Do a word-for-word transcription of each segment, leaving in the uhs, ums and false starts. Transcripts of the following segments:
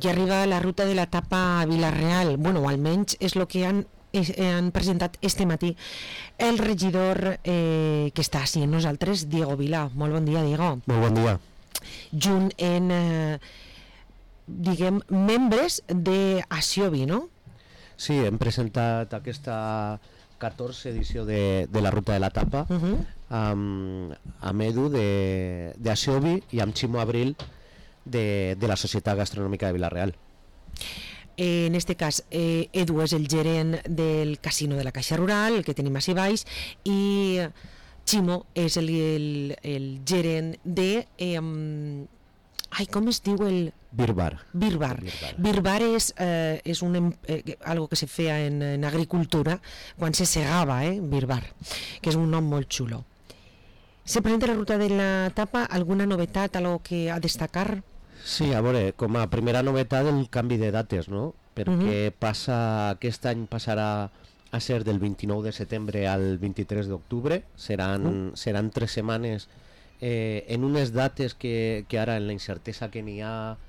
que arriba la ruta de la tapa a Vila-real. Bueno, o almenys és el que han, és, han presentat este matí el regidor eh, que està així amb nosaltres, Diego Vila. Molt bon dia, Diego. Molt bon dia. Junt en, eh, diguem, membres d'Asiobi, no? Sí, hem presentat aquesta catorze edició de, de la ruta de la tapa uh-huh. amb, amb Edu d'Asiobi i amb Ximo Abril de, de la Societat Gastronòmica de Vila-real. En este cas, eh, Edu és el gerent del casino de la Caixa Rural, el que tenim així baix, i Ximo és el, el, el gerent de... Eh, ai, com es diu el... Birbar. Birbar. Birbar, Birbar és, eh, és un, eh, algo que se feia en, en agricultura quan se segava, eh, Birbar, que és un nom molt xulo. Se presenta la ruta de la tapa, alguna novetat, algo que a destacar? Sí, a veure, com a primera novetat el canvi de dates, no? Perquè uh-huh. passa, aquest any passarà a ser del vint-i-nou de setembre al vint-i-tres d'octubre, seran, uh-huh. seran tres setmanes eh, en unes dates que, que ara en la incertesa que n'hi ha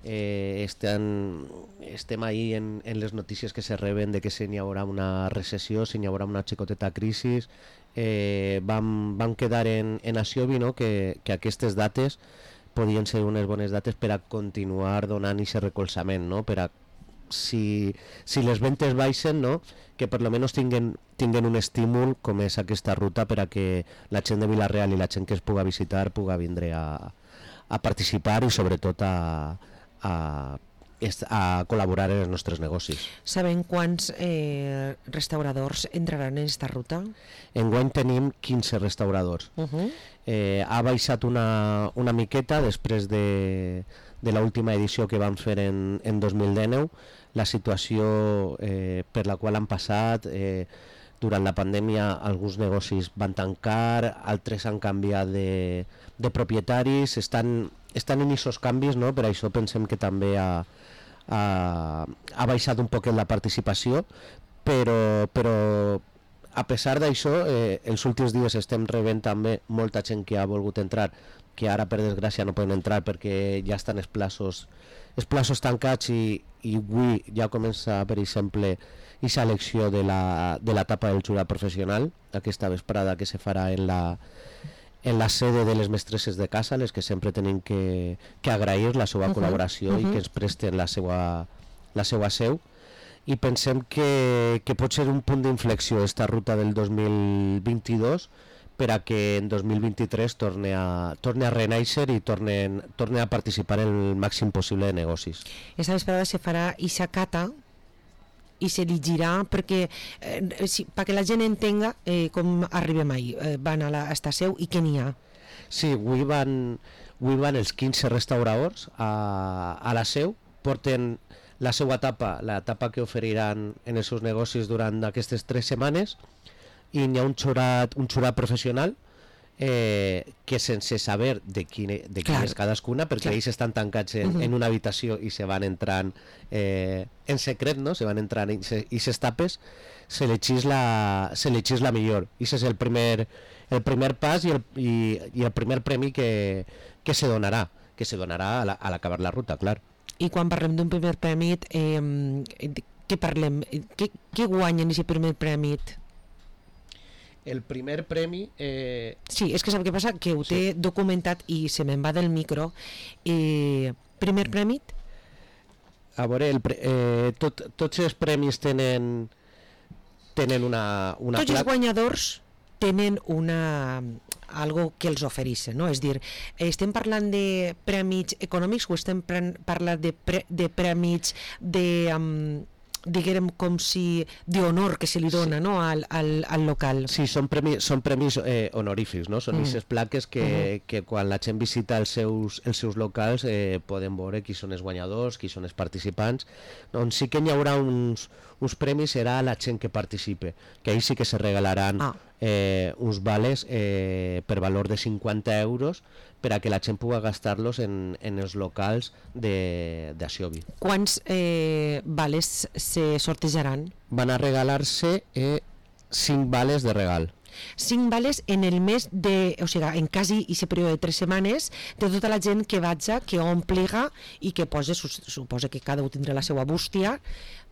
eh, estem, estem ahí en, en les notícies que se reben de que se n'hi haurà una recessió, se n'hi haurà una xicoteta crisi. eh, vam, vam quedar en, en Asiobi, no? que, que aquestes dates podien ser unes bones dates per a continuar donant aquest recolzament, no? Per a si, si les ventes baixen, no? Que per lo menos tinguen, tinguen un estímul com és aquesta ruta per a que la gent de Vila-real i la gent que es puga visitar puga vindre a, a participar i sobretot a, a, a col·laborar en els nostres negocis. Sabem quants eh, restauradors entraran en aquesta ruta? Enguany tenim quinze restauradors. Uh-huh. eh, ha baixat una, una miqueta després de, de l'última edició que vam fer en, en dos mil dinou. La situació eh, per la qual han passat, eh, durant la pandèmia alguns negocis van tancar, altres han canviat de, de propietaris, estan, estan en aquests canvis, no? Per això pensem que també ha, ha, ha baixat un poquet la participació, però, però a pesar d'això, eh, els últims dies estem rebent també molta gent que ha volgut entrar, que ara per desgràcia no poden entrar perquè ja estan els plaços, els plaços tancats i, i avui ja comença, per exemple, aquesta elecció de la, de la etapa del jurat professional, aquesta vesprada que se farà en la, en la sede de les mestresses de casa, les que sempre tenen que, que agrair la seva uh-huh. col·laboració uh-huh. i que ens presten la seva, la seva seu. I pensem que, que pot ser un punt d'inflexió esta ruta del dos mil vint-i-dos per a que en dos mil vint-i-tres torne a, torne a renaixer i torne, torne a participar en el màxim possible de negocis. Esta vesprada se farà ixa cata i se li girà perquè, eh, si, perquè la gent entenga eh, com arribem ahí, eh, van a esta seu i què n'hi ha. Sí, avui van, avui van els quinze restauradors a, a la seu, porten la seva etapa, la etapa que oferiran en els seus negocis durant aquestes tres setmanes, i hi ha un jurat, un jurat professional eh, que sense saber de quin, de quin és cadascuna, perquè ells estan tancats en, uh-huh. en una habitació i se van entrant eh, en secret, no? Se van entrant i aquestes tapes s'elegís la, s'elegís la millor. I aquest és el primer, el primer pas i el, i, i el primer premi que, que se donarà, que se donarà a, la, a l'acabar la ruta, clar. I quan parlem d'un primer premi, eh, què parlem? Què, què guanyen aquest primer premi? El primer premi... Eh... Sí, és que sap què passa? Que ho té sí. documentat i se me'n va del micro. Eh, primer premi? A veure, el pre... eh, tot, tots els premis tenen, tenen una... una tots els guanyadors tenen una... algo que els ofereixen, no? És dir, estem parlant de prèmits econòmics o estem parlant de, pre, de prèmits de... Um, diguem com si d'honor que se li dona sí. no? al, al, al local. Sí, són premis, són premis eh, honorífics, no? Són aquestes mm. plaques que, uh-huh. que quan la gent visita els seus, els seus locals eh, poden veure qui són els guanyadors, qui són els participants. Doncs sí que hi haurà uns, uns premis, serà la gent que participe, que ahí sí que se regalaran ah. eh, uns vales eh, per valor de cinquanta euros per a que la gent pugui gastar-los en, en els locals d'Asiobi. Quants eh, vales se sortejaran? Van a regalar-se eh, cinc vales de regal. cinc vales en el mes de, o sigui, en quasi aquest període de tres setmanes, de tota la gent que vaja, que ompliga i que posa, suposa que cada un tindrà la seva bústia,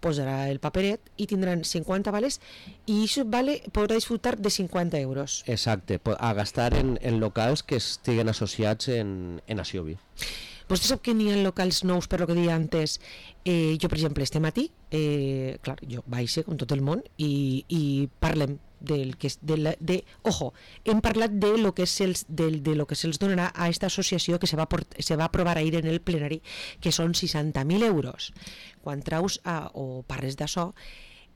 posarà el paperet i tindran cinquanta vales i això vale podrà disfrutar de cinquanta euros. Exacte, a gastar en, en locals que estiguen associats en, en Axiobi. Vostè sap que n'hi ha locals nous, per lo que deia antes. Eh, jo, per exemple, este matí, eh, clar, jo baixo com tot el món i, i parlem del que és de, la, de ojo, hem parlat de lo que és els, del, de lo que se'ls donarà a aquesta associació que se va, port, se va aprovar ahir en el plenari, que són seixanta mil euros. Quan traus a, o parles d'això,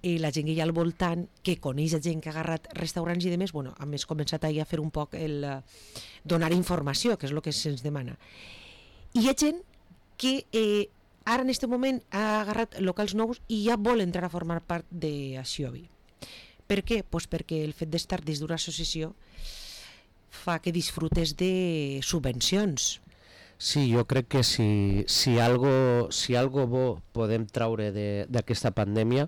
eh, la gent que hi ha al voltant, que coneix a gent que ha agarrat restaurants i demés, bueno, a més començat ahir a fer un poc el uh, donar informació, que és el que se'ns demana. I hi ha gent que eh, ara en aquest moment ha agarrat locals nous i ja vol entrar a formar part d'Axiobi. Per què? Pues perquè el fet d'estar dins d'una associació fa que disfrutes de subvencions. Sí, jo crec que si, si, algo, si algo bo podem traure d'aquesta pandèmia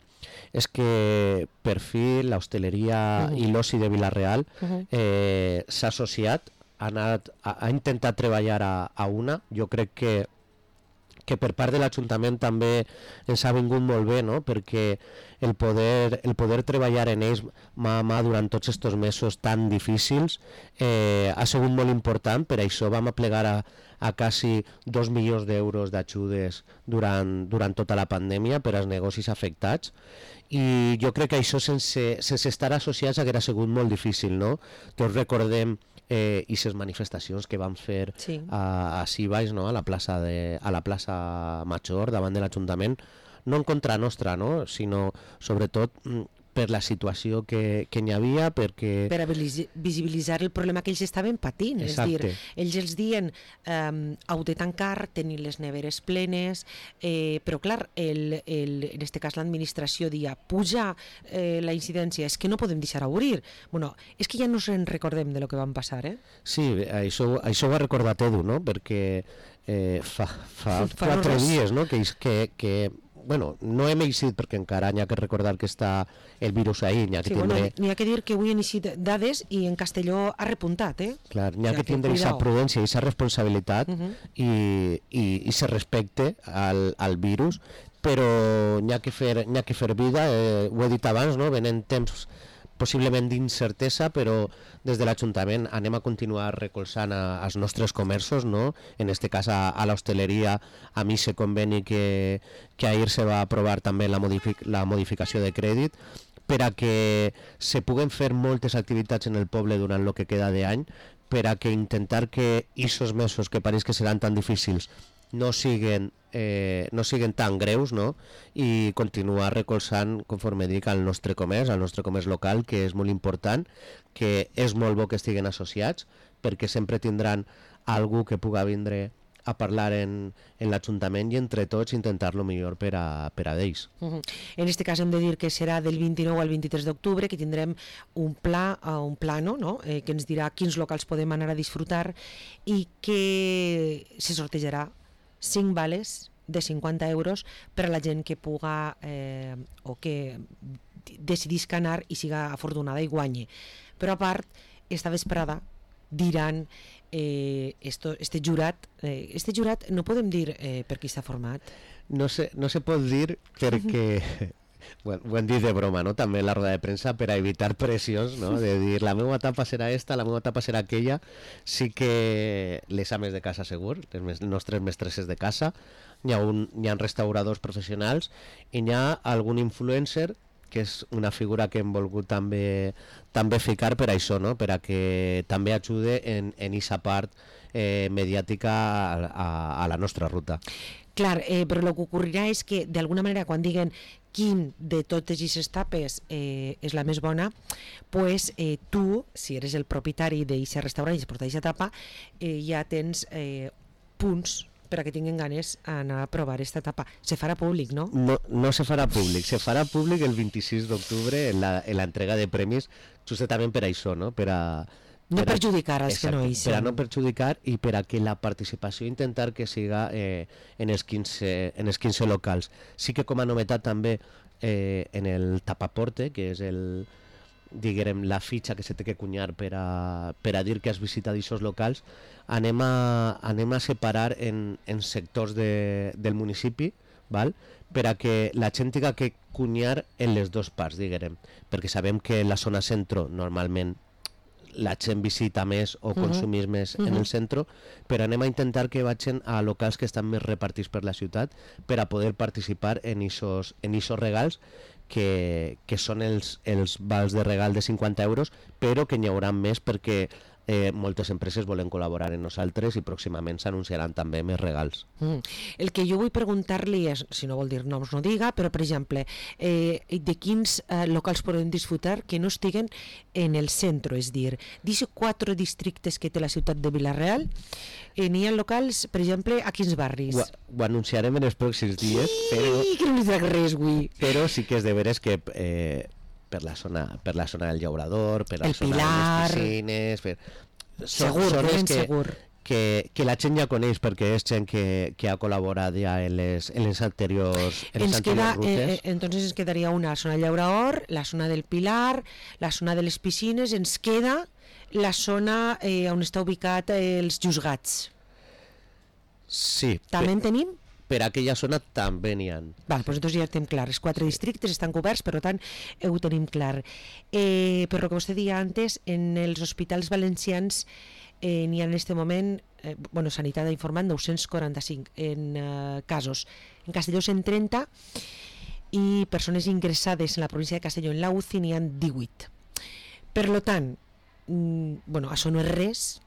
és que per fi l'hostaleria uh -huh. i l'oci de Vila-real uh -huh. eh, s'ha associat, ha, anat, ha, ha intentat treballar a, a una. Jo crec que que per part de l'Ajuntament també ens ha vingut molt bé, no? Perquè el poder, el poder treballar en ells mà a mà durant tots aquests mesos tan difícils eh, ha sigut molt important. Per això vam aplegar a, a quasi dos milions d'euros d'ajudes durant, durant tota la pandèmia per als negocis afectats, i jo crec que això sense, sense estar associats haguera sigut molt difícil, no? Tots recordem eh, i les manifestacions que vam fer sí. a, a Sibais, no? a la plaça de, a la plaça Major davant de l'Ajuntament, no en contra nostra, no? Sinó sobretot per la situació que, que n'hi havia, perquè... Per a visibilitzar el problema que ells estaven patint. Exacte. És dir, ells els diuen um, heu de tancar, tenir les neveres plenes, eh, però clar, el, el, en aquest cas l'administració dia puja eh, la incidència, és que no podem deixar obrir. Bueno, és que ja no se'n recordem de lo que van passar, eh? Sí, això, això ho ha recordat Edu, no? Perquè eh, fa, fa, fa quatre dies, no? Que, que, que bueno, no hem eixit perquè encara n'hi ha que recordar que està el virus ahir, n'hi ha que sí, tindre... Bueno, n'hi ha que dir que avui han eixit dades i en Castelló ha repuntat, eh? Clar, n'hi ha o sigui, que tindre aquesta prudència i aquesta responsabilitat uh -huh. i, i, i se respecte al, al virus, però n'hi ha que fer, n'hi ha que fer vida, eh, ho he dit abans, no? Venen temps possiblement d'incertesa, però des de l'Ajuntament anem a continuar recolzant a, als nostres comerços, no? En aquest cas a, a l'hostaleria, a mi se conveni que, que ahir se va aprovar també la, modific, la modificació de crèdit per a que se puguen fer moltes activitats en el poble durant el que queda d'any, per a que intentar que aquests mesos que pareix que seran tan difícils no siguen, eh, no siguen tan greus, no? I continuar recolzant, conforme dic, al nostre comerç, al nostre comerç local, que és molt important, que és molt bo que estiguen associats, perquè sempre tindran algú que puga vindre a parlar en, en l'Ajuntament i entre tots intentar-lo millor per a, per a d'ells. Uh -huh. En aquest cas hem de dir que serà del vint-i-nou al vint-i-tres d'octubre, que tindrem un pla, uh, un plano, no? eh, que ens dirà quins locals podem anar a disfrutar i que se sortejarà cinc vales de cinquanta euros per a la gent que puga eh, o que decidisca anar i siga afortunada i guanyi. Però a part, esta vesprada diran eh, esto, este jurat eh, este jurat no podem dir eh, per qui està format. No se, no se pot dir perquè bueno, ho hem dit de broma, no? També la roda de premsa per a evitar pressions, no? De dir la meva etapa serà esta, la meva etapa serà aquella. Sí que les ames de casa segur, les nostres mestresses de casa, n'hi ha, un, n'hi ha restauradors professionals i n'hi ha algun influencer que és una figura que hem volgut també també ficar per això, no? Per a que també ajude en aquesta part eh, mediàtica a, a, a la nostra ruta. Clar, eh, però el que ocorrirà és que d'alguna manera quan diguen quin de totes aquestes etapes eh, és la més bona, pues, eh, tu, si eres el propietari d'aquest restaurant i es porta aquesta etapa, eh, ja tens eh, punts per a que tinguin ganes d'anar a provar aquesta etapa. Se farà públic, no? No, no se farà públic. Se farà públic el vint-i-sis d'octubre en la, en l'entrega de premis, justament per això, no? Per a, no per perjudicar els que no hi són. Per a no perjudicar i per a que la participació intentar que siga eh, en, els quinze, en els quinze locals. Sí que com a novetat també eh, en el tapaporte, que és el, diguem, la fitxa que se té que cunyar per a, per a dir que has visitat aquests locals, anem a, anem a separar en, en sectors de, del municipi, val? Per a que la gent tinga que cunyar en les dues parts, diguem, perquè sabem que la zona centro normalment la gent visita més o consumís uh -huh. més uh -huh. en el centre, però anem a intentar que vagin a locals que estan més repartits per la ciutat per a poder participar en aquests en aquests regals que, que són els, els vals de regal de cinquanta euros, però que n'hi haurà més perquè eh, moltes empreses volen col·laborar amb nosaltres i pròximament s'anunciaran també més regals. Mm. El que jo vull preguntar-li és, si no vol dir noms no diga, però per exemple, eh, de quins eh, locals podem disfrutar que no estiguen en el centre, és dir, d'aquests quatre districtes que té la ciutat de Vila-real, eh, n'hi ha locals, per exemple, a quins barris? Ho, ho anunciarem en els pròxims dies, sí, però, que no li dic res, avui. Però sí que és de veres que eh, per la zona per la zona del Llaurador, per la el zona Pilar, de les piscines, per... segur, són ben que, segur. Que, que la gent ja coneix perquè és gent que, que ha col·laborat ja en les, en les anteriors, en les ens anteriors queda, rutes. eh, entonces ens quedaria una zona del Llaurador, la zona del Pilar, la zona de les piscines, ens queda la zona eh, on està ubicat eh, els Juzgats. Sí. També en tenim? Per aquella zona també n'hi ha. Val, doncs ja estem clar, els quatre sí. districtes estan coberts, per tant ho tenim clar. Eh, però el que vostè deia antes, en els hospitals valencians eh, n'hi ha en aquest moment, eh, bueno, Sanitat ha informat nou-cents quaranta-cinc en eh, casos, en Castelló cent trenta i persones ingressades en la província de Castelló en la U C I n'hi ha divuit. Per tant, mm, bueno, això no és res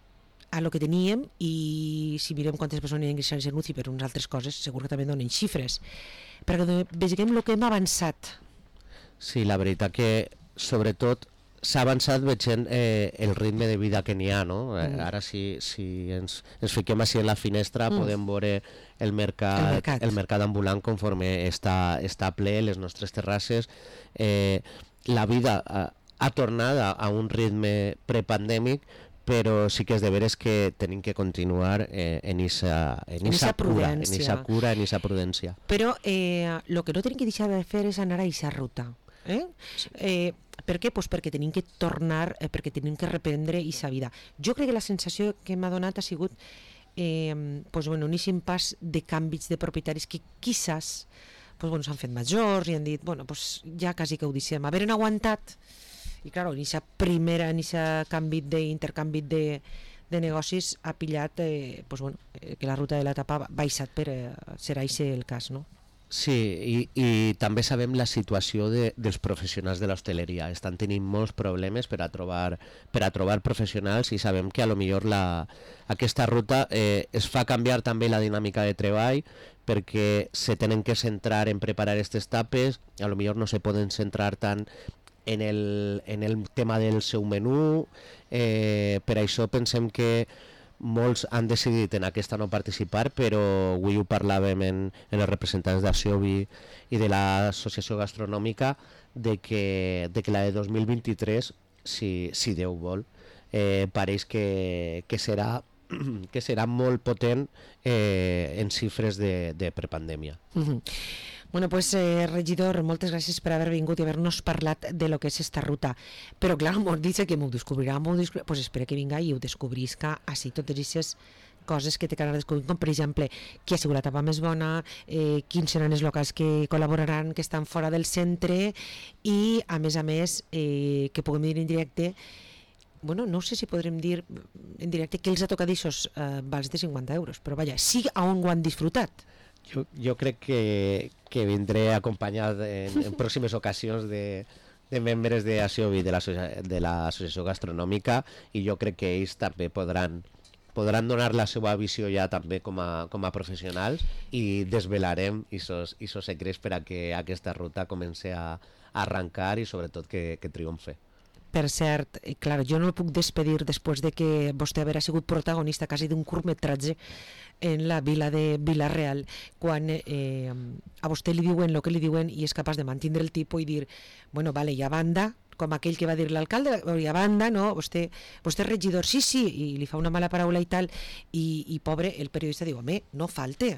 a lo que teníem, i si mirem quantes persones ingressades en U C I per unes altres coses, segur que també donen xifres, perquè vegem el que hem avançat. Sí, la veritat que sobretot s'ha avançat veient eh, el ritme de vida que n'hi ha, no? Mm. Ara si, si ens, ens fiquem així en la finestra mm. podem veure el mercat, el mercat. el mercat ambulant conforme està, està ple, les nostres terrasses, eh, la vida ha, ha tornat a, a un ritme prepandèmic, però sí que és de veres que tenim que continuar eh, en esa en esa cura, en esa cura, en esa prudència. Però eh, lo que no tenim que deixar de fer és anar a esa ruta. Eh? Sí. Eh, per què? Pues perquè tenim que tornar, eh, perquè tenim que reprendre esa vida. Jo crec que la sensació que m'ha donat ha sigut eh, pues, bueno, un eixim pas de canvis de propietaris que quizás pues, bueno, s'han fet majors i han dit, bueno, pues, ja quasi que ho deixem. Haver aguantat. I clar, en aquest primer canvi d'intercanvi de, de negocis ha pillat eh, pues bueno, eh, que la ruta de l'etapa ha baixat, per eh, serà aquest el cas, no? Sí, i, i també sabem la situació de, dels professionals de l'hostaleria. Estan tenint molts problemes per a trobar, per a trobar professionals, i sabem que a lo millor la, aquesta ruta eh, es fa canviar també la dinàmica de treball, perquè se tenen que centrar en preparar aquestes tapes, a lo millor no se poden centrar tant en el, en el tema del seu menú, eh, per això pensem que molts han decidit en aquesta no participar, però avui ho parlàvem en, en els representants d'Aciobi i de l'associació gastronòmica, de que, de que la de dos mil vint-i-tres, si, si Déu vol, eh, pareix que, que, serà, que serà molt potent eh, en xifres de, de prepandèmia. Mm-hmm. Bueno, pues, eh, regidor, moltes gràcies per haver vingut i haver-nos parlat de lo que és esta ruta. Però, clar, m'ho dice que m'ho descobrirà, m'ho descobrirà, pues espera que vinga i ho descobrisca així, totes aquestes coses que té que anar descobrint, com per exemple, qui ha sigut la tapa més bona, eh, quins seran els locals que col·laboraran, que estan fora del centre, i, a més a més, eh, que puguem dir en directe, bueno, no sé si podrem dir en directe que els ha tocat aquests eh, vals de cinquanta euros, però vaja, sí a on ho han disfrutat. Jo, jo crec que, que vindré acompanyat en, en pròximes ocasions de, de membres de Aciobi, de l'associació gastronòmica, i jo crec que ells també podran, podran donar la seva visió ja també com a, com a professionals, i desvelarem aquests secrets per a que aquesta ruta comenci a, a arrencar i sobretot que, que triomfe. Per cert, clar, jo no el puc despedir després de que vostè haver sigut protagonista quasi d'un curtmetratge en la vila de Vila-real, quan eh, a vostè li diuen el que li diuen i és capaç de mantindre el tipus i dir, bueno, vale, i a banda, com aquell que va dir l'alcalde, i a banda, no, vostè, vostè és regidor, sí, sí, i li fa una mala paraula i tal, i, i pobre, el periodista diu, home, no falte.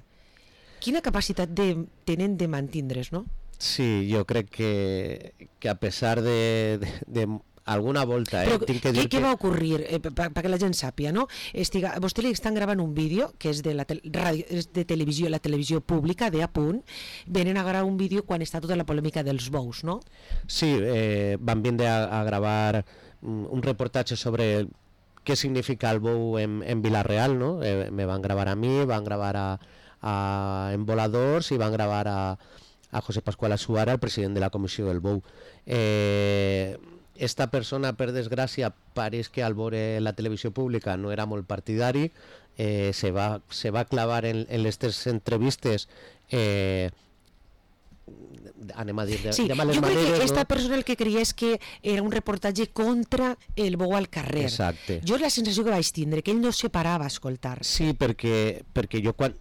Quina capacitat de, tenen de mantindre's, no? Sí, jo crec que, que a pesar de, de, de alguna volta, eh? Però Tinc que què, dir què que... va ocurrir? Eh, perquè la gent sàpia, no? Estiga, vostè li estan gravant un vídeo que és de, la tel ràdio, és de televisió, la televisió pública, de A Punt, venen a gravar un vídeo quan està tota la polèmica dels bous, no? Sí, eh, van vindre a, a gravar un reportatge sobre què significa el bou en, en Vila-real, no? Eh, me van gravar a mi, van gravar a, a en Voladors i van gravar a, a José Pascual Asuara, el president de la Comissió del Bou. Eh, esta persona, per desgràcia, pareix que al veure la televisió pública no era molt partidari, eh, se, va, se va clavar en, en les tres entrevistes eh, anem a dir de, sí, de males jo crec maneres, que esta no? persona el que creia és que era un reportatge contra el bou al carrer. Exacte. Jo la sensació que vaig tindre, que ell no se parava a escoltar. Sí, perquè, perquè jo quan,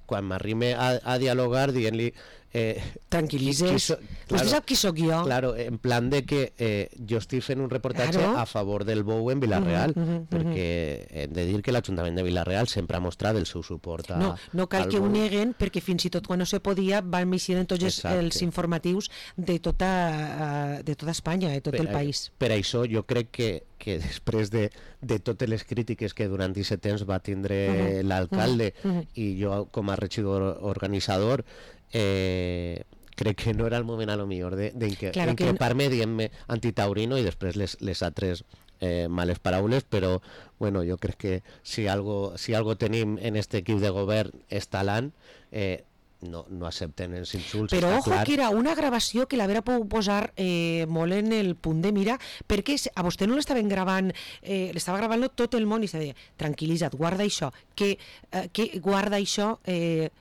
quan m'arrime a, a dialogar dient-li eh, tranquil·litzes, so, claro, vostè sap qui sóc jo. Claro, en plan de que eh, jo estic fent un reportatge claro. a favor del bou en Vila-real, uh -huh, uh -huh, perquè hem de dir que l'Ajuntament de Vila-real sempre ha mostrat el seu suport a, no, no cal que ho neguen, perquè fins i tot quan no se podia van eixir en tots Exacte. els informatius de tota, de tota Espanya, de tot per, el país. Per això jo crec que, que després de, de totes les crítiques que durant aquest temps va tindre uh -huh, l'alcalde uh -huh. i jo com a regidor organitzador, eh, crec que no era el moment a lo millor d'increpar-me que... dient-me antitaurino i després les, les altres eh, males paraules, però bueno, jo crec que si algo, si algo tenim en este equip de govern és talent, eh, no, no accepten els insults. Però ojo clar. que era una gravació que la Vera pot posar eh, molt en el punt de mira, perquè a vostè no l'estaven gravant, eh, l'estava gravant tot el món i se deia, tranquil·litza't, guarda això, que, eh, que guarda això... Eh,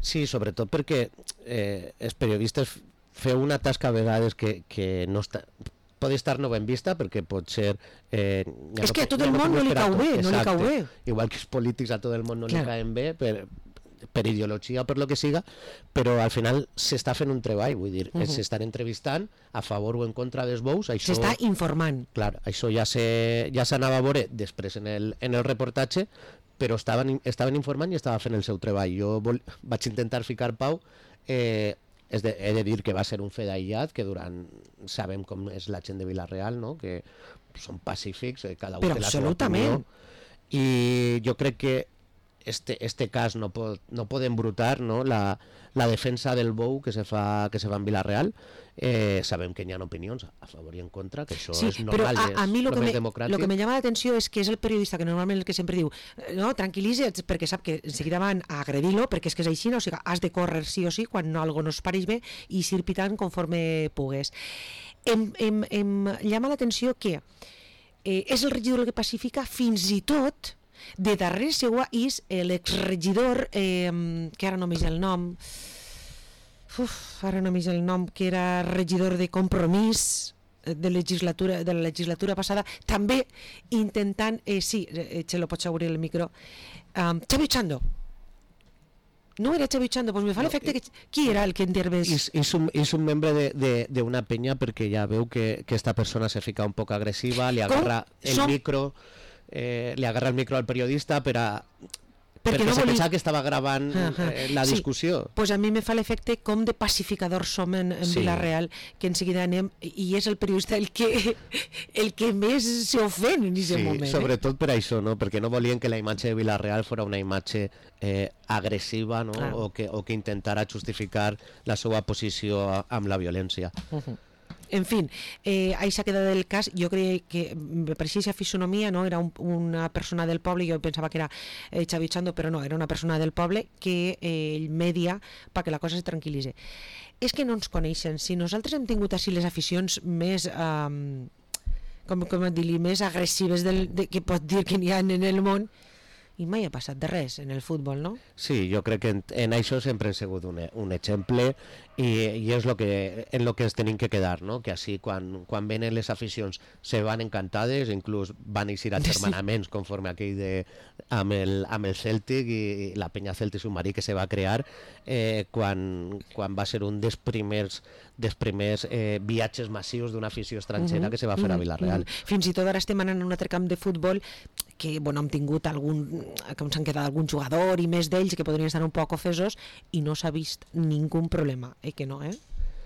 Sí, sobretot perquè eh, els periodistes feu una tasca a vegades que, que no està, pot estar no ben vista perquè pot ser... Eh, és no, que a tot el món no li cau bé, no li cau bé. Igual que els polítics a tot el món no Clar. li caen bé per, per ideologia o per lo que siga, però al final s'està fent un treball, vull dir, uh -huh. s'estan entrevistant a favor o en contra dels bous. S'està informant. Clar, això ja s'anava a veure després en el, en el reportatge, però estaven, estaven informant i estava fent el seu treball. Jo vol, vaig intentar ficar pau, eh, és de, he de dir que va ser un fet aïllat, que durant, sabem com és la gent de Vila-real, no? Que són pacífics, eh, cada un però té la seva opinió, i jo crec que este, este cas no pot, no pot embrutar, no? La, la defensa del bou que se fa, que se fa en Vila-real. Eh, sabem que hi ha opinions a favor i en contra, que això sí, és normal, però a, a mi és lo el que, més me, democràtic. lo que me llama l'atenció és que és el periodista que normalment el que sempre diu no, tranquil·litza't, perquè sap que en seguida van a agredir-lo, perquè és que és així, no? O sigui, has de córrer sí o sí quan no, algo no es pareix bé i s'ir pitant conforme pugues. Em, em, em llama l'atenció que eh, és el regidor el que pacifica, fins i tot de darrere seua és l'exregidor eh, que ara només el nom Uf, ara només el nom, que era regidor de Compromís de, legislatura, de la legislatura passada, també intentant, eh, sí, eh, se lo pots obrir el micro, um, Xavi Chando. No era Xavi Chando, doncs me fa no, l'efecte que... Qui era el que intervés? És, és, un, és un membre d'una penya perquè ja veu que, que esta persona se fica un poc agressiva, li agarra Com? el Som... micro, eh, li agarra el micro al periodista per a... perquè, perquè no se volia... pensava que estava gravant uh -huh. eh, la discussió. Sí, pues a mi me fa l'efecte com de pacificadors som en, en sí. Vila-real, que en seguida anem, i és el periodista el que, el que més s'ofèn en aquest sí, moment. Sobretot eh? per això, no? Perquè no volien que la imatge de Vila-real fos una imatge eh, agressiva, no? Ah. o, que, o que intentara justificar la seva posició amb la violència. Uh -huh. En fin, eh, ahí s'ha quedat el cas. Jo crec que me pareixia aquesta fisonomia, no? Era un, una persona del poble, jo pensava que era eh, Xavi Chando, però no, era una persona del poble que eh, ell media perquè la cosa se tranquil·litzi. És que no ens coneixen. Si nosaltres hem tingut així les aficions més eh, com, com dir-li, més agressives del, de, que pot dir que n'hi ha en el món, i mai ha passat de res en el futbol, no? Sí, jo crec que en, en això sempre hem sigut un, un exemple i, i és lo que, en lo que ens tenim que quedar, no? Que així quan, quan venen les aficions se van encantades, inclús van eixir agermanaments conforme aquell de, amb, el, amb el Celtic i, i la penya Celtic Submarí que se va crear eh, quan, quan va ser un dels primers, dels primers eh, viatges massius d'una afició estrangera uh -huh, que se va fer uh -huh, a Vila-real. Uh -huh. Fins i tot ara estem anant a un altre camp de futbol que bueno, hem tingut algun, com s'han quedat algun jugador i més d'ells que podrien estar un poc ofesos i no s'ha vist ningú problema, eh que no, eh?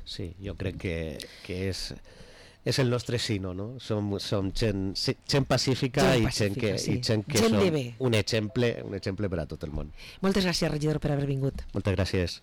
Sí, jo crec que, que és és el nostre sino, no? Som, som gent, gent pacífica, gent i pacífica, gent que, sí. i gent que gent som de bé. un exemple, un exemple per a tot el món. Moltes gràcies, regidor, per haver vingut. Moltes gràcies.